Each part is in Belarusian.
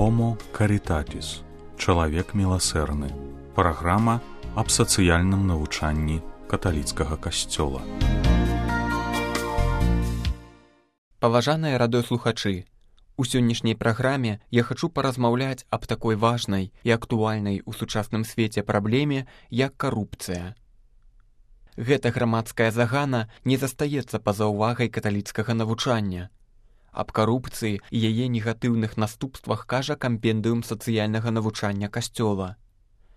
Homo Caritatis. Чалавек міласэрны. Праграма аб сацыяльным навучанні каталіцкага касцёла. Паважаныя радыёслухачы, у сённяшняй праграме я хачу паразмаўляць аб такой важнай і актуальнай у сучасным свеце праблеме, як карупцыя. Гэта грамадская загана не застаецца па-за ўвагай каталіцкага навучання. Аб карупцыі і яе негатыўных наступствах кажа кампендыум сацыяльнага навучання касцёла.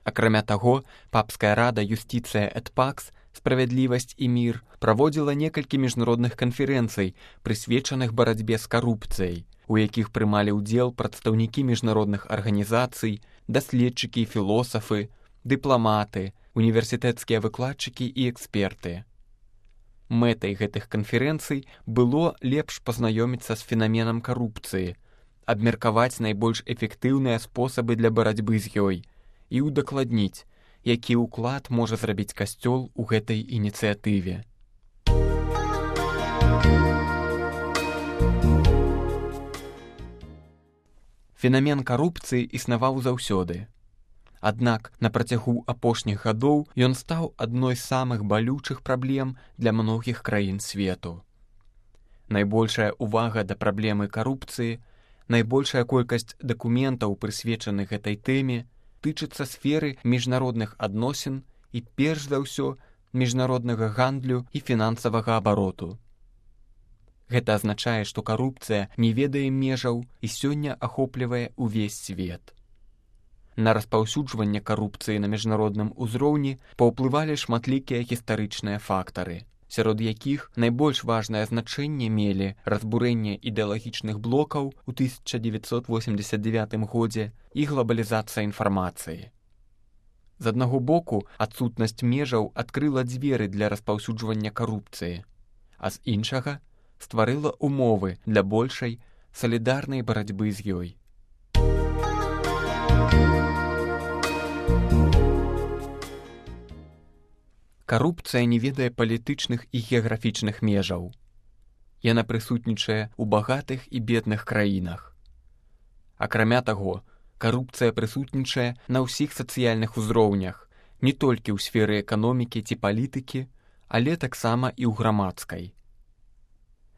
Акрамя таго, папская рада «Юстиция et Pax» «Справядлівасць і мір» праводзіла некалькі міжнародных канферэнцый, прысвечаных барацьбе з карупцыяй, у якіх прымалі ўдзел прадстаўнікі міжнародных арганізацый, даследчыкі і філосафы, дыпламаты, універсітэцкія выкладчыкі і эксперты. Мэтай гэтых канферэнцый было лепш пазнаёміцца з фенаменам карупцыі, абмеркаваць найбольш эфектыўныя спосабы для барацьбы з ёй і ўдакладніць, які ўклад можа зрабіць касцёл у гэтай ініцыятыве. Фенамен карупцыі існаваў заўсёды. Аднак на працягу апошніх гадоў ён стаў адной з самых балючых праблем для многіх краін свету. Найбольшая ўвага да праблемы карупцыі, найбольшая колькасць дакументаў, прысвечаных гэтай тэме, тычыцца сферы міжнародных адносін і, перш за ўсё, міжнароднага гандлю і фінансавага абароту. Гэта азначае, што карупцыя не ведае межаў і сёння ахоплівае ўвесь свет. На распаўсюджванне карупцыі на міжнародным узроўні паўплывалі шматлікія гістарычныя фактары, сярод якіх найбольш важнае значэнне мелі разбурэнне ідэалагічных блокаў у 1989 годзе і глабалізацыя інфармацыі. З аднаго боку, адсутнасць межаў адкрыла дзверы для распаўсюджвання карупцыі, а з іншага стварыла умовы для большай салідарнай барацьбы з ёй. Карупцыя не ведае палітычных і геаграфічных межаў. Яна прысутнічае ў багатых і бедных краінах. Акрамя таго, карупцыя прысутнічае на ўсіх сацыяльных узроўнях, не толькі ў сферы эканомікі ці палітыкі, але таксама і ў грамадскай.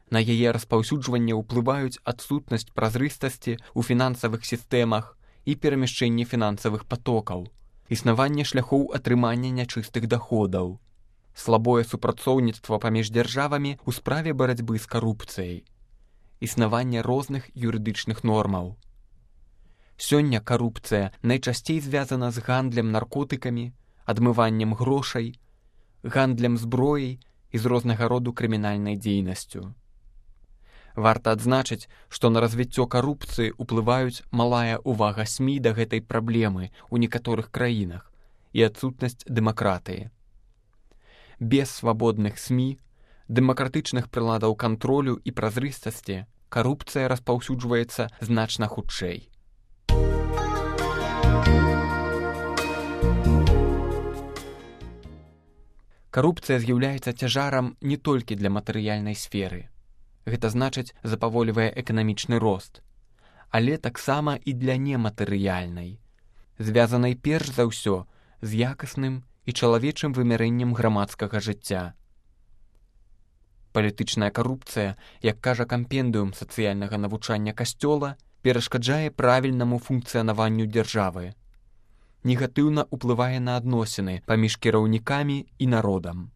На яе распаўсюджванне ўплываюць адсутнасць празрыстасці ў фінансавых сістэмах і перамяшчэнне фінансавых патокаў, існаванне шляхоў атрымання нячыстых даходаў, слабое супрацоўніцтва паміж дзяржавамі ў справе барацьбы з карупцыяй, існаванне розных юрыдычных нормаў. Сёння карупцыя найчасцей звязана з гандлем наркотыкамі, адмываннем грошай, гандлем зброяй і з рознага роду крымінальнай дзейнасцю. Варта адзначыць, што на развіццё карупцыі ўплываюць малая ўвага СМІ да гэтай праблемы ў некаторых краінах і адсутнасць дэмакратыі. Без свабодных СМІ, дэмакратычных прыладаў кантролю і празрыстасці карупцыя распаўсюджваецца значна хутчэй. Карупцыя з'яўляецца цяжарам не толькі для матэрыяльнай сферы. Гэта значыць, запаволівае эканамічны рост, але таксама і для нематэрыяльнай, звязанай перш за ўсё з якасным і чалавечым вымярэннем грамадскага жыцця. Палітычная карупцыя, як кажа кампендыум сацыяльнага навучання касцёла, перашкаджае правільнаму функцыянаванню дзяржавы, негатыўна ўплывае на адносіны паміж кіраўнікамі і народам,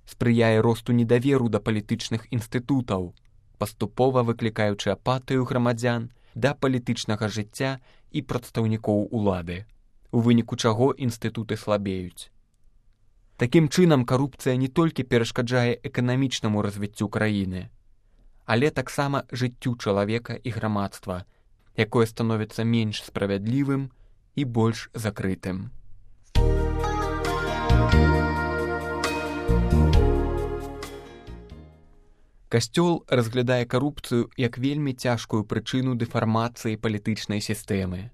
спрыяе росту недаверу да палітычных інстытутаў, паступова выклікаючы апатыю грамадзян да палітычнага жыцця і прадстаўнікоў улады, у выніку чаго інстытуты слабеюць. Такім чынам, карупцыя не толькі перашкаджае эканамічнаму развіццю краіны, але таксама жыццю чалавека і грамадства, якое становіцца менш справядлівым і больш закрытым. Касцёл разглядае карупцыю як вельмі цяжкую прычыну дэфармацыі палітычнай сістэмы.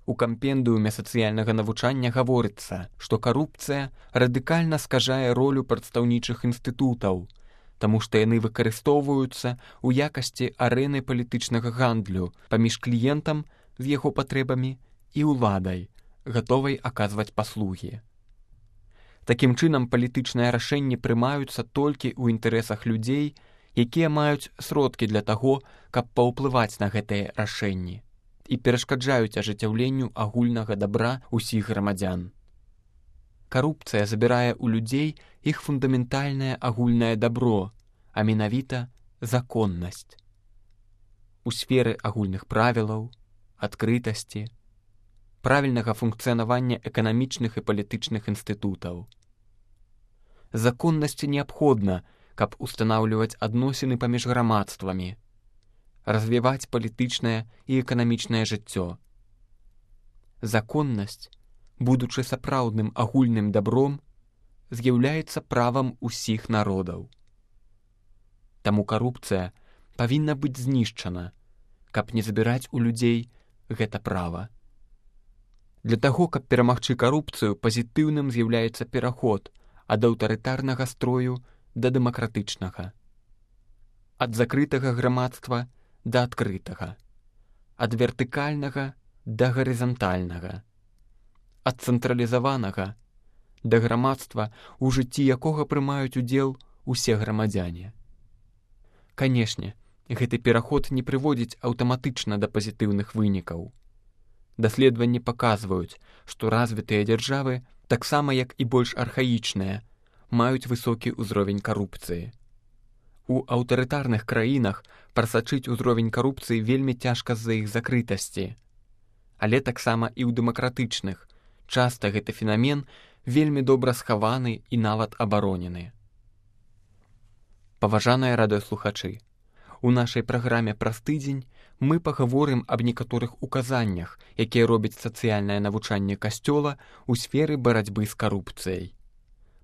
У кампендыуме сацыяльнага навучання гаворыцца, што карупцыя радыкальна скажае ролю прадстаўнічых інстытутаў, таму што яны выкарыстоўваюцца ў якасці арэны палітычнага гандлю паміж кліентам з яго патрэбамі і ўладай, гатовай аказваць паслугі. Такім чынам, палітычныя рашэнні прымаюцца толькі ў інтарэсах людзей, якія маюць сродкі для таго, каб паўплываць на гэтыя рашэнні і перашкаджаюць ажыццяўленню агульнага дабра ўсіх грамадзян. Карупцыя забірае ў людзей іх фундаментальнае агульнае дабро, а менавіта законнасць. У сферы агульных правілаў, адкрытасці, правільнага функцыянавання эканамічных і палітычных інстытутаў. Законнасці неабходна, каб устанаўліваць адносіны паміж грамадствамі, развіваць палітычнае і эканамічнае жыццё. Законнасць, будучы сапраўдным агульным дабром, з'яўляецца правам усіх народаў. Таму карупцыя павінна быць знішчана, каб не забіраць у людзей гэта права. Для таго, каб перамагчы карупцыю, пазітыўным з'яўляецца пераход ад аўтарытарнага строю да дэмакратычнага, ад закрытага грамадства да адкрытага, ад вертыкальнага да гарызантальнага, ад цэнтралізаванага да грамадства, у жыцці якога прымаюць удзел усе грамадзяне. Канешне, гэты пераход не прыводзіць аўтаматычна да пазітыўных вынікаў. Даследаванні паказваюць, што развітыя дзяржавы, таксама як і больш архаічныя, маюць высокі ўзровень карупцыі. У аўтарытарных краінах прасачыць узровень карупцыі вельмі цяжка з-за іх закрытасці. Але таксама і ў дэмакратычных часта гэты фенамен вельмі добра схаваны і нават абаронены. Паважаныя радыёслухачы, у нашай праграме «Праз тыдзень» мы пагаворым аб некаторых указаннях, якія робяць сацыяльнае навучанне Касцёла ў сферы барацьбы з карупцыяй.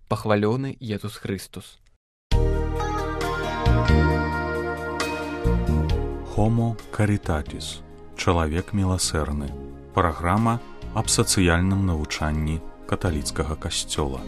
Пахвалёны Езус Хрыстус. Homo Caritatis. Чалавек міласэрны. Праграма аб сацыяльным навучанні каталіцкага касцёла.